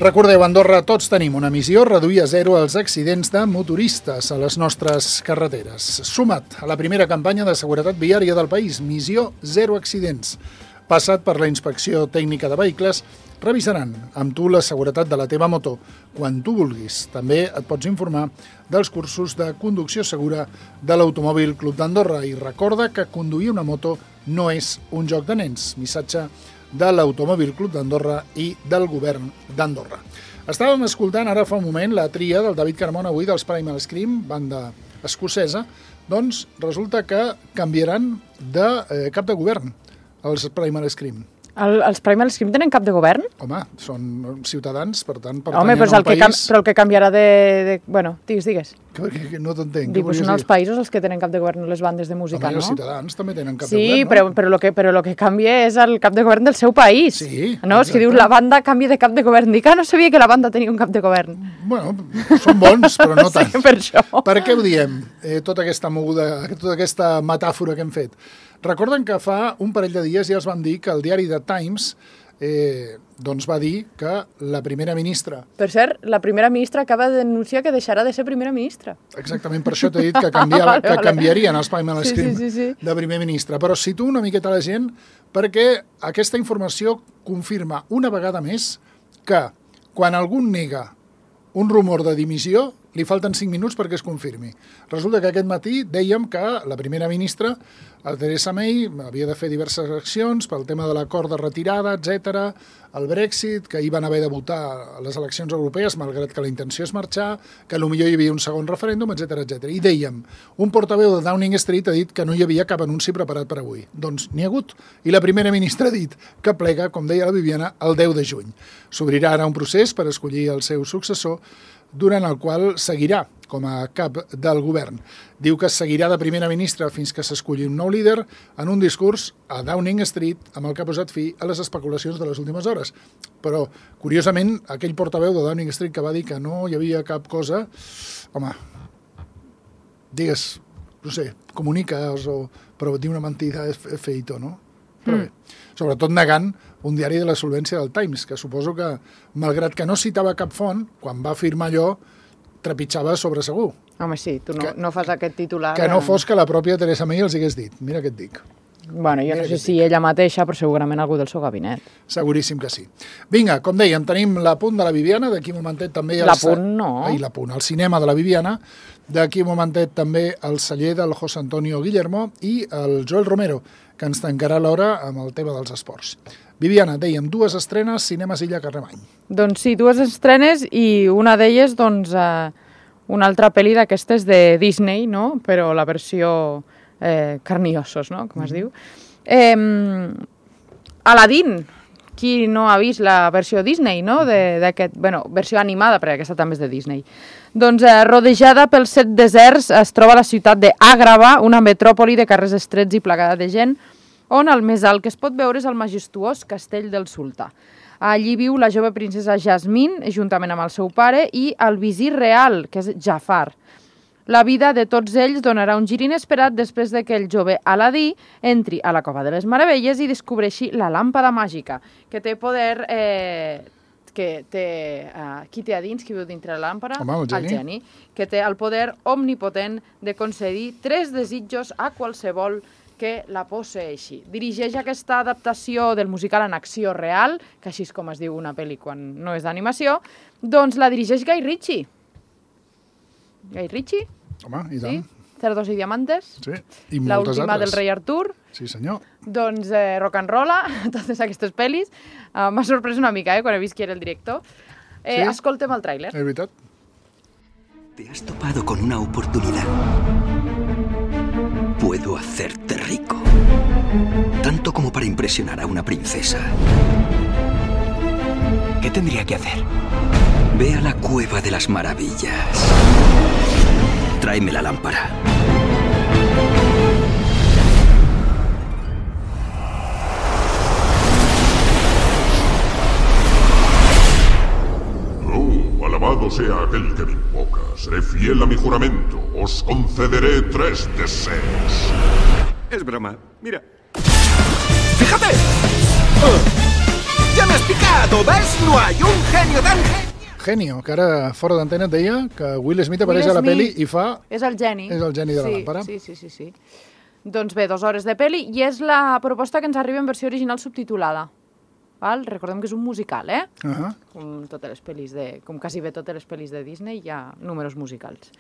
Recordeu, a Andorra tots tenim una missió, reduir a zero els accidents de motoristes a les nostres carreteres. Suma't a la primera campanya de seguretat viària del país, Missió Zero Accidents. Passat per la inspecció tècnica de vehicles, revisaran amb tu la seguretat de la teva moto quan tu vulguis. També et pots informar dels cursos de conducció segura de l'Automòbil Club d'Andorra i recorda que conduir una moto no és un joc de nens. Missatge de l'Automòbil Club d'Andorra i del govern d'Andorra. Estàvem escoltant ara fa un moment la tria del David Carmona avui dels Primal Scream, banda escocesa, doncs resulta que canviaran de cap de govern els Primal Scream. Els Primal Scream tenen cap de govern? Home, són ciutadans, per tant, pertanyen a un país... Però el que canviarà de... Bueno, digues. Que no t'entenc. Dic, són els països els que tenen cap de govern, les bandes de música, no? Els ciutadans també tenen cap de govern, no? Sí, però el que canvia és el cap de govern del seu país. Sí, no? És que dius, la banda canvia de cap de govern. Dic, no sabia que la banda tenia un cap de govern. Bueno, són bons, però no tant. Sí, per això. Per què ho diem, tota aquesta moguda, tota aquesta metàfora que hem fet? Recorden que fa un parell de dies ja es van dir que el diari The Times doncs va dir que la primera ministra... Per cert, la primera ministra acaba de denunciar que deixarà de ser primera ministra. Exactament, per això t'he dit que canviarien els Primal Scream de primer ministre. Però situo una miqueta la gent perquè aquesta informació confirma una vegada més que quan algú nega un rumor de dimissió, li falten 5 minuts perquè es confirmi. Resulta que aquest matí dèiem que la primera ministra, Theresa May, havia de fer diverses accions pel tema de l'acord de retirada, etc., el Brexit, que hi van haver de votar a les eleccions europees, malgrat que la intenció és marxar, que potser hi havia un segon referèndum, etc. I dèiem, un portaveu de Downing Street ha dit que no hi havia cap anunci preparat per avui. Doncs n'hi ha hagut. I la primera ministra ha dit que plega, com deia la Viviana, el 10 de juny. S'obrirà ara un procés per escollir el seu successor, durant el qual seguirà com a cap del govern. Diu que seguirà de primera ministra fins que s'esculli un nou líder en un discurs a Downing Street amb el que ha posat fi a les especulacions de les últimes hores. Però, curiosament, aquell portaveu de Downing Street que va dir que no hi havia cap cosa, home, digues, no sé, comuniques, però dir una mentida és feito, no? Però bé, sobretot negant un diari de la solvència del Times, que suposo que, malgrat que no citava cap font, quan va afirmar allò, trepitjava sobre segur. Home, sí, tu no fas aquest titular... Que no fos que la pròpia Theresa May els hagués dit. Mira què et dic. Bueno, jo no sé si ella mateixa, però segurament algú del seu gabinet. Seguríssim que sí. Vinga, com dèiem, tenim l'Apunt de la Viviana, d'aquí un momentet també... L'Apunt no. L'Apunt, el cinema de la Viviana, d'aquí un momentet també el celler del José Antonio Guillermo i el Joel Romero, que ens tancarà l'hora amb el tema dels esports. Viviana, dèiem, 2 estrenes, Cinemes Illa Carlemany. Doncs sí, 2 estrenes i una d'elles, doncs, una altra pel·li d'aquestes de Disney, no? Però la versió carniossos, no? Com es diu. Aladdin, qui no ha vist la versió Disney, no? Versió animada, perquè aquesta també és de Disney. Doncs rodejada pels 7 deserts es troba la ciutat d'Àgrava, una metròpoli de carrers estrets i plagada de gent, on el més alt que es pot veure és el majestuós castell del sultà. Allí viu la jove princesa Jasmine, juntament amb el seu pare, i el visir real, que és Jafar. La vida de tots ells donarà un gir inesperat després de que el jove Aladí entri a la Cova de les Meravelles i descobreixi la làmpada màgica, que té poder... qui té a dins, qui viu dintre la làmpara? Home, el geni. Que té el poder omnipotent de concedir 3 desitjos a qualsevol que la posseeixi. Dirigeix aquesta adaptació del musical en acció real, que així és com es diu una pel·li quan no és d'animació, doncs la dirigeix Guy Ritchie. Guy Ritchie? Home, i tant. Sí? Cerdos i Diamantes. Sí, i moltes L'última altres. del rei Artur. Sí, senyor. Doncs Rock and Rolla, totes aquestes pel·lis. M'ha sorprès una mica, quan he vist qui era el director. ¿Sí? Escoltem el tràiler. És veritat. Te has topado con una oportunidad. Puedo hacerte rico. Tanto como para impresionar a una princesa. ¿Qué tendría que hacer? Ve a la Cueva de las Maravillas. Tráeme la lámpara. Alabado sea aquel que me invoca. Seré fiel a mi juramento. Os concederé 3 deseos. Es broma. Mira. ¡Fíjate! ¡Ya me has justificado, ¿ves? No hay un genio tan Genio, que ara fora d'antena et deia que Will Smith apareix a la pel·li i fa... És el geni. És el geni de la làmpara. Sí. Doncs bé, 2 hores de pel·li i és la proposta que ens arriba en versió original subtitulada. Val? Recordem que és un musical, Com quasi bé totes les pel·lis de Disney hi ha números musicals.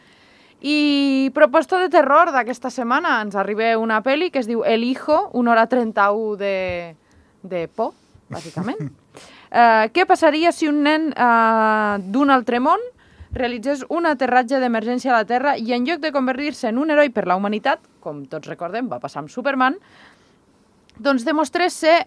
I proposta de terror d'aquesta setmana ens arriba una pel·li que es diu El Hijo, 1 hora 31 de por, bàsicament. Què passaria si un nen d'un altre món realitzés un aterratge d'emergència a la Terra i en lloc de convertir-se en un heroi per la humanitat, com tots recordem, va passar amb Superman, doncs demostrés ser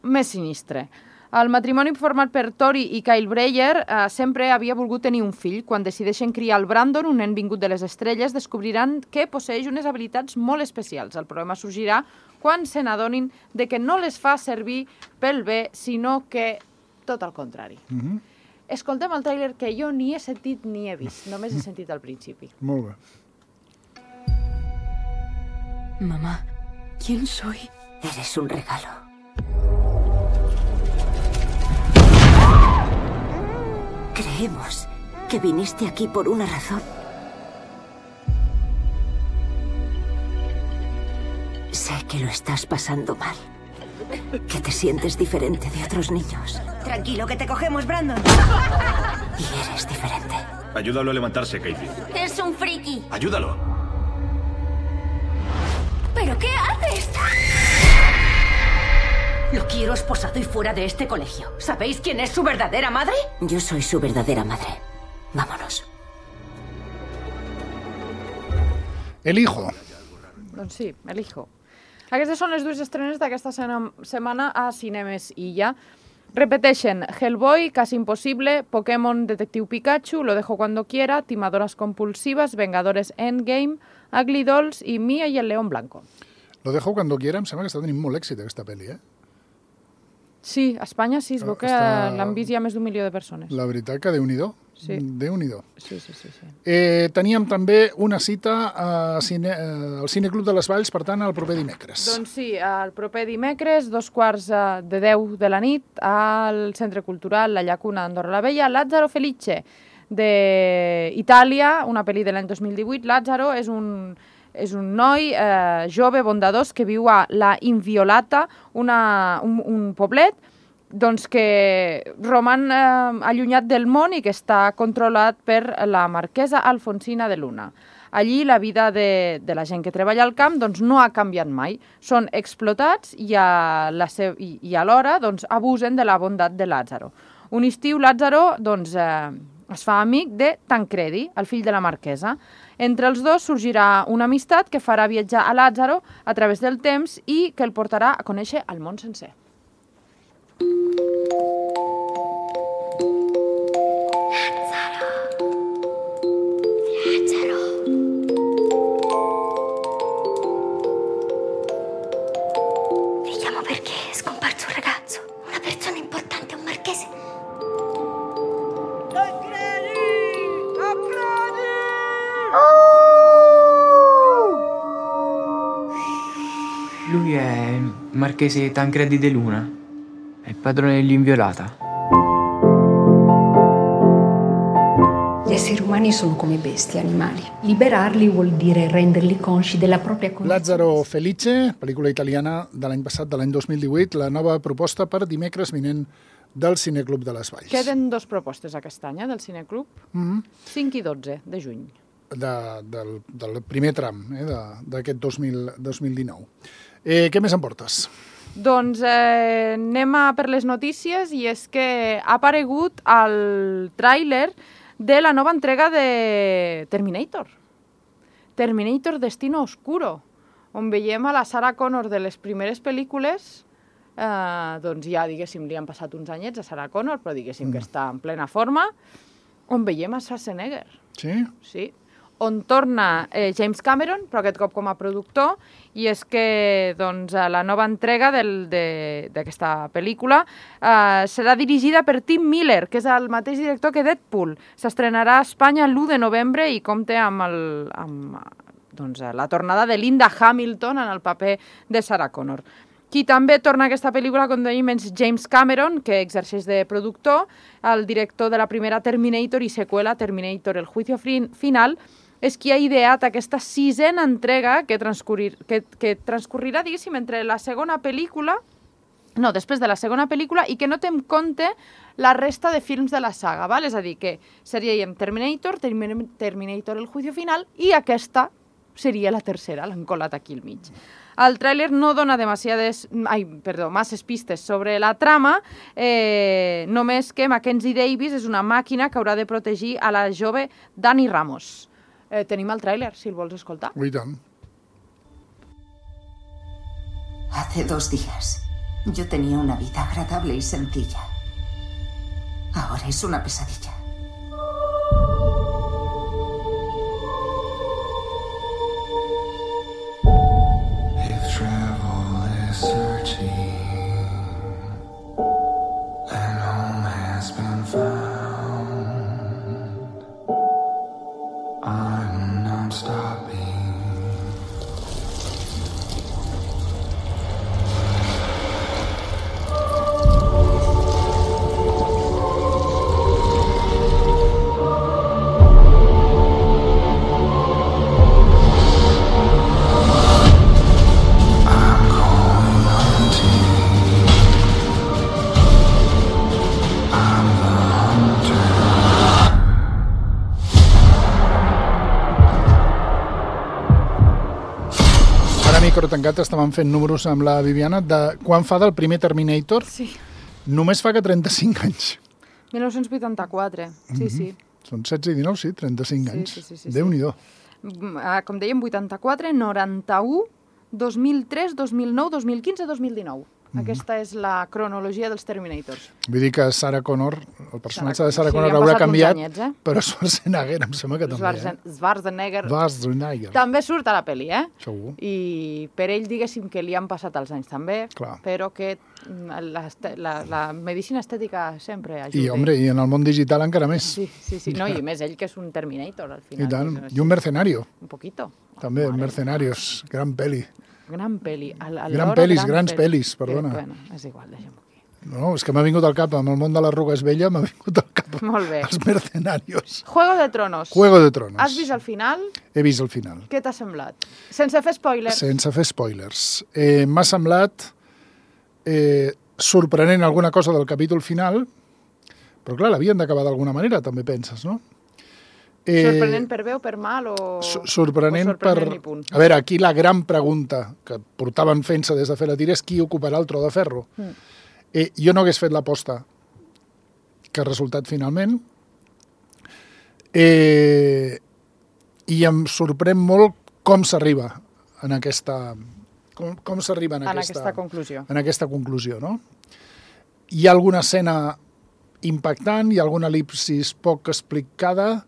més sinistre. El matrimoni format per Tori i Kyle Breyer sempre havia volgut tenir un fill. Quan decideixen criar el Brandon, un nen vingut de les estrelles, descobriran que posseix unes habilitats molt especials. El problema sorgirà quan se n'adonin de que no les fa servir pel bé, sinó que tot el contrari. Escoltem el tràiler que jo ni he sentit ni he vist, només he sentit al principi. Molt bé. Mamá, ¿quién soy? Eres un regalo. Creemos que viniste aquí por una razón. Sé que lo estás pasando mal. Que te sientes diferente de otros niños. Tranquilo, que te cogemos, Brandon. Y eres diferente. Ayúdalo a levantarse, Katie. Es un friki. Ayúdalo. ¿Pero qué haces? Lo quiero esposado y fuera de este colegio. ¿Sabéis quién es su verdadera madre? Yo soy su verdadera madre. Vámonos. El Hijo. Doncs sí, El Hijo. Aquestes són les 2 estrenes d'aquesta setmana a Cinemes Illa. Repeteixen Hellboy, Casi Imposible, Pokémon Detectiu Pikachu, Lo dejo cuando quiera, Timadoras compulsivas, Vengadores Endgame, Ugly Dolls i Mia i el León Blanco. Lo dejo cuando quiera, em sembla que està tenint molt èxit aquesta pel·li, Sí, a Espanya sí, es veu que l'han vist ja més d'1 milió de persones. La veritat que Déu-n'hi-do. Sí. Déu-n'hi-do. Sí. Teníem també una cita al Cineclub de les Valls, per tant, el proper dimecres. Doncs sí, el proper dimecres, 9:45 de la nit, al Centre Cultural La Llacuna d'Andorra la Vella, Lázaro Felice, d'Itàlia, una pel·li de l'any 2018. Lázaro és un noi jove, bondadós, que viu a La Inviolata, un poblet doncs que roman allunyat del món i que està controlat per la marquesa Alfonsina de Luna. Allí la vida de la gent que treballa al camp doncs, no ha canviat mai. Són explotats i alhora doncs, abusen de la bondat de Lázaro. Un estiu Lázaro doncs, es fa amic de Tancredi, el fill de la marquesa. Entre els dos sorgirà una amistat que farà viatjar a Lázaro a través del temps i que el portarà a conèixer el món sencer. Vi chiamo perché è scomparso un ragazzo, una persona importante, un marchese. Lui è il marchese Tancredi de Luna, è il padrone dell'Inviolata. Gli esseri umani sono come bestie, animali. Liberarli vuol dire renderli consci della propria condizione. Lázaro Felice, pel·lícula italiana de l'any passat, de l'any 2018, la nova proposta per dimecres vinent del Cineclub de les Valls. Queden 2 propostes aquest any del Cineclub, 5 i 12 de juny. Del primer tram d'aquest 2019. Què més em portes? Doncs anem per les notícies i és que ha aparegut el tràiler de la nova entrega de Terminator. Terminator Destino Oscuro, on veiem a la Sarah Connor de les primeres pel·lícules, doncs ja, diguéssim, li han passat uns anyets a Sarah Connor, però diguéssim que està en plena forma, on veiem a Schwarzenegger. Sí? Sí. On torna James Cameron, però aquest cop com a productor, i és que doncs, la nova entrega d'aquesta pel·lícula serà dirigida per Tim Miller, que és el mateix director que Deadpool. S'estrenarà a Espanya l'1 de novembre i compta amb la tornada de Linda Hamilton en el paper de Sarah Connor. Qui també torna a aquesta pel·lícula, com dèiem, és James Cameron, que exerceix de productor, el director de la primera Terminator i seqüela, Terminator, el juicio final, és qui ha ideat aquesta 6a entrega que transcorrirà, diguéssim, entre la segona pel·lícula, després de la segona pel·lícula, i que no té en compte la resta de films de la saga, val? És a dir, que seríem Terminator, Terminator, el juicio final, i aquesta seria la tercera, l'han colat aquí al mig. El tràiler no dona masses pistes sobre la trama, només que Mackenzie Davis és una màquina que haurà de protegir a la jove Dani Ramos. Tenim el tràiler, si el vols escoltar. I tant. Hace 2 días yo tenía una vida agradable y sencilla. Ahora es una pesadilla. If travel is searching and home has been found, I'm not stopping. Micro tancat estàvem fent números amb la Viviana de quan fa del primer Terminator. Sí. Només fa que 35 anys. 1984, sí. Són 16 i 19, sí, 35 anys. Sí. Déu-n'hi-do. Com dèiem, 84, 91, 2003, 2009, 2015, 2019. Aquesta és la cronologia dels Terminators. Vull dir que Sarah Connor, el personatge de Sarah Connor haurà canviat, anyets, però Schwarzenegger em sembla que també. Schwarzenegger també surt a la pel·li, Segur. I per ell, diguéssim, que li han passat els anys també, clar, però que la medicina estètica sempre ajuda. I, home, i en el món digital encara més. Sí. No, i més ell que és un Terminator, al final. I tant. I un mercenario. Un poquito. També, Mercenarios, gran pel·li. Gran pel·li. Grans pel·lis, perdona. Bueno, és igual, deixem-ho aquí. No, és que m'ha vingut al cap, amb el món de l'arruga és vella, m'ha vingut al cap els Mercenarios. Juego de Tronos. Juego de Tronos. Has vist el final? He vist el final. Què t'ha semblat? Sense fer spoilers. Sense fer spoilers. M'ha semblat sorprenent alguna cosa del capítol final, però clar, l'havien d'acabar d'alguna manera, també penses, no? Sorprenent per bé o per mal? Sorprenent per... A veure, aquí la gran pregunta que portaven fent-se des de fer la tira és qui ocuparà el tro de ferro. Jo no hagués fet l'aposta que ha resultat finalment i em sorprèn molt com s'arriba en aquesta... Com s'arriba en aquesta conclusió. En aquesta conclusió, no? Hi ha alguna escena impactant, hi ha alguna elipsis poc explicada,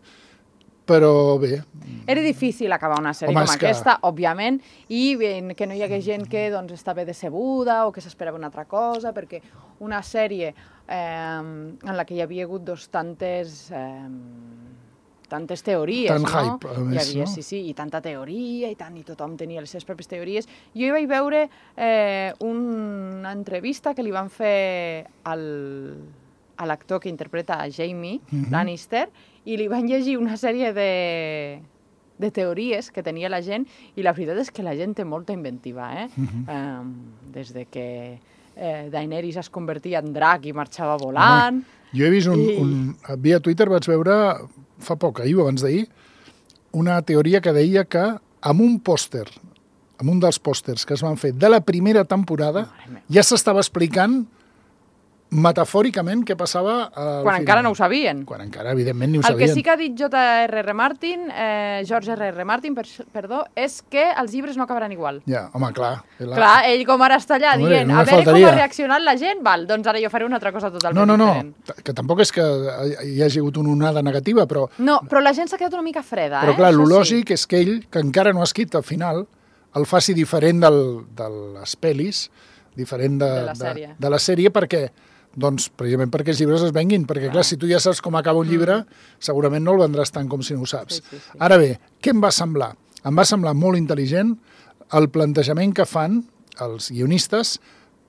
però bé. Era difícil acabar una sèrie com aquesta, òbviament, i que no hi hagués gent que està bé decebuda o que s'esperava una altra cosa, perquè una sèrie en la que hi havia hagut tantes teories, tant no? Hype, a més, hi havia, no? Sí, i tanta teoria, i tothom tenia les seves pròpies teories. Jo hi vaig veure una entrevista que li van fer a l'actor que interpreta a Jamie Lannister, i li van llegir una sèrie de teories que tenia la gent, i la veritat és que la gent té molta inventiva, des de que Daenerys es convertia en drac i marxava volant. Jo he vist via Twitter vaig veure, fa poc, ahir o abans d'ahir, una teoria que deia que amb un pòster, amb un dels pòsters que es van fer de la primera temporada, ja s'estava explicant metafòricament què passava al quan encara no ho sabien. Quan encara, evidentment, ni ho sabien. El que sí que ha dit George R.R. Martin, és que els llibres no acabaran igual. Ja, home, clar. Clar, ell com ara està allà dient, a veure com ha reaccionat la gent, doncs ara jo faré una altra cosa totalment diferent. No, que tampoc és que hi hagi hagut una onada negativa, però... No, però la gent s'ha quedat una mica freda, Però clar, el lògic és que ell, que encara no ha escrit al final, el faci diferent de les pel·lis, diferent de la sèrie, perquè... Doncs precisament perquè els llibres es venguin, perquè clar, si tu ja saps com acaba un llibre, segurament no el vendràs tant com si no ho saps. Ara bé, què em va semblar? Em va semblar molt intel·ligent el plantejament que fan els guionistes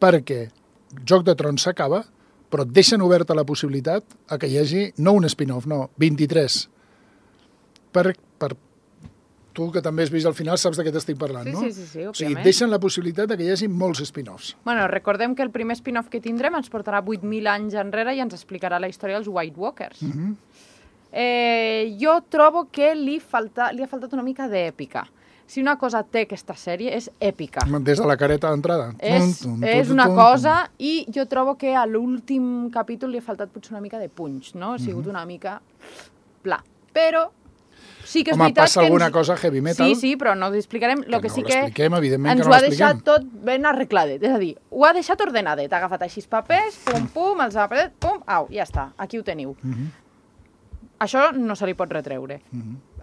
perquè Joc de Trons s'acaba, però deixen oberta la possibilitat a que hi hagi, no un spin-off, no, 23. Per tu, que també has vist al final, saps de què t'estic parlant, no? Sí, òbviament. O sigui, deixen la possibilitat de que hi hagi molts spin-offs. Bueno, recordem que el primer spin-off que tindrem ens portarà 8.000 anys enrere i ens explicarà la història dels White Walkers. Jo trobo que li ha faltat una mica d'èpica. Si una cosa té aquesta sèrie és èpica. Des de la careta d'entrada. És una cosa, i jo trobo que a l'últim capítol li ha faltat potser una mica de punch, no? Ha sigut una mica pla. Però sí que és veritat que... passa alguna cosa heavy metal. Sí, però no ho explicarem. Lo que sí que evidentment ens que no ho ha deixat tot ben arregladet. És a dir, ho ha deixat ordenadet. Ha agafat així papers, pum, els ha apretat, pum, au, ja està, aquí ho teniu. Això no se li pot retreure.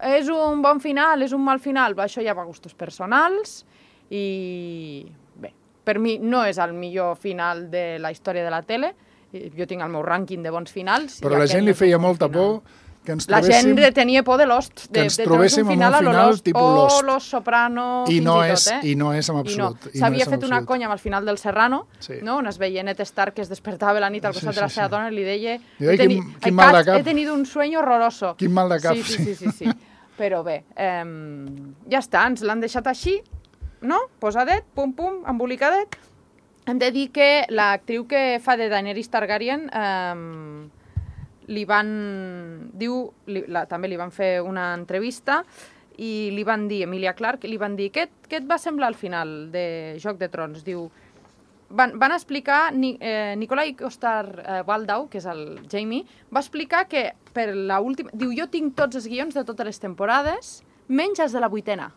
És un bon final, és un mal final? Això ja va a gustos personals i... Bé, per mi no és el millor final de la història de la tele. Jo tinc el meu rànquing de bons finals. Però a la gent li feia molta por que ens trobéssim... La gent tenia por de Lost. Que ens trobéssim en un final tipus Lost. O Los Soprano, I no és en absolut. S'havia fet una conya amb el final del Serrano, on es veia Ned Stark que es despertava la nit al costat de la seva dona i li deia quin mal de cap. He tenido un sueño horroroso. Quin mal de cap. Sí. Però bé, ja està, ens l'han deixat així, no? Posadet, pum, embolicadet. Hem de dir que l'actriu que fa de Daenerys Targaryen també li van fer una entrevista i li van dir, Emilia Clarke, li van dir, què et va semblar al final de Joc de Trons? Diu, van explicar, Nikolai Coster-Waldau, que és el Jaime, va explicar que per l'última... Diu, jo tinc tots els guions de totes les temporades, menys els de la 8ª.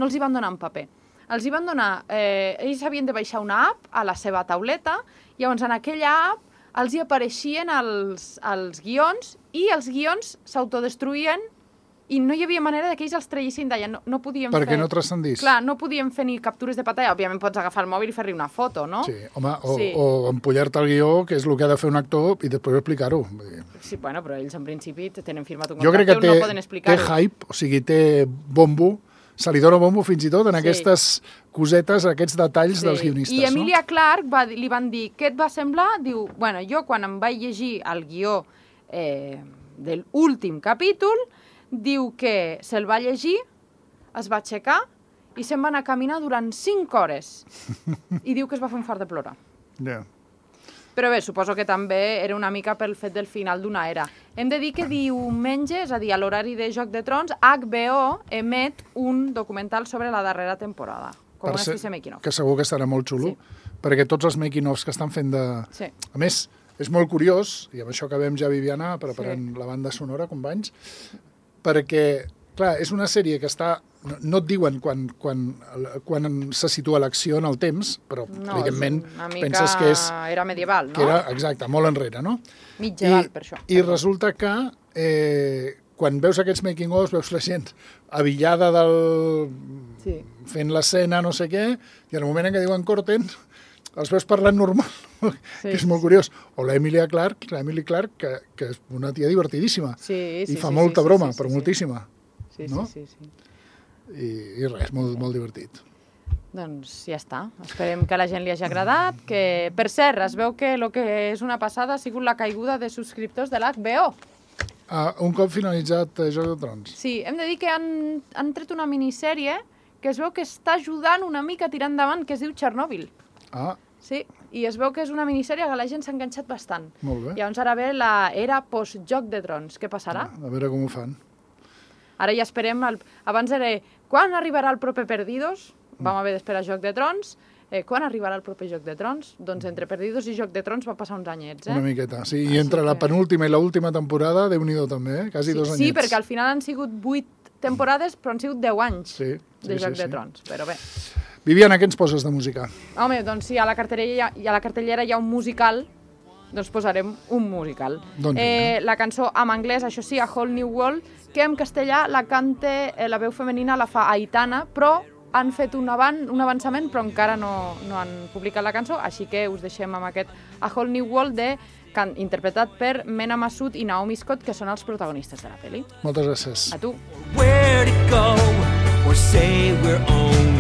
No els hi van donar en paper. Els hi van donar... ells havien de baixar una app a la seva tauleta, i llavors en aquella app els hi apareixien els guions i els guions s'autodestruïen i no hi havia manera que ells els traguessin d'allà. No podien fer... Perquè no transcendís. Clar, no podien fer ni captures de pantalla. Òbviament pots agafar el mòbil i fer-li una foto, no? Sí, home, o empollar-te el guió, que és el que ha de fer un actor, i després explicar-ho. Sí, bueno, però ells en principi tenen firmat un contracte, no poden explicar-ho. Jo crec que té hype, o sigui, té bombo, se li dona bombo fins i tot en aquestes cosetes, aquests detalls dels guionistes. I Emilia Clarke li van dir, què et va semblar? Diu, bueno, jo quan em vaig llegir el guió de l'últim capítol, diu que se'l va llegir, es va aixecar i se'n va anar a caminar durant 5 hores. I diu que es va fer un fart de plorar. Però bé, suposo que també era una mica pel fet del final d'una era. Hem de dir que diumenge, és a dir, a l'horari de Joc de Trons, HBO emet un documental sobre la darrera temporada, com una espècie de making-of. Que segur que estarà molt xulo, perquè tots els making-offs que estan fent de... A més, és molt curiós, i amb això acabem ja, Viviana, preparant la banda sonora, companys, perquè, clar, és una sèrie que està... No et diuen quan se situa l'acció en el temps, però, evidentment, penses que és... Era medieval, no? Que era, exacte, molt enrere, no? Mitgeval, per això. I resulta que quan veus aquests making-ofs, veus la gent avillada fent l'escena, no sé què, i en el moment en què diuen corten, els veus parlant normal, que és molt curiós. O l'Emily Clarke, que és una tia divertidíssima, i fa molta broma, però moltíssima. Sí. I res, molt divertit. Doncs ja està. Esperem que a la gent li hagi agradat, que, per cert, es veu que el que és una passada ha sigut la caiguda de subscriptors de l'HBO. Un cop finalitzat Joc de Trons. Sí, hem de dir que han tret una minissèrie que es veu que està ajudant una mica a tirar endavant, que es diu Chernobyl. Sí, i es veu que és una minissèrie que la gent s'ha enganxat bastant. Molt bé. Llavors ara ve l'era post-Joc de Trons. Què passarà? A veure com ho fan. Ara ja esperem, abans era quan arribarà el proper Perdidos, vam haver d'esperar Joc de Trons, quan arribarà el proper Joc de Trons? Doncs entre Perdidos i Joc de Trons va passar uns anyets, Una miqueta, sí, i entre la penúltima i l'última temporada, Déu-n'hi-do també, quasi 2 anyets. Sí, perquè al final han sigut 8 temporades, però han sigut 10 anys de Joc de Trons, però bé. Viviana, què ens poses de música? Home, doncs si a la cartellera hi ha un musical, doncs posarem un musical. La cançó en anglès, això sí, A Whole New World, que en castellà la canta, la veu femenina la fa Aitana, però han fet un avançament, però encara no han publicat la cançó, així que us deixem amb aquest A Whole New World interpretat per Mena Massoud i Naomi Scott, que són els protagonistes de la pel·li. Moltes gràcies. A tu. Where to go or say we're on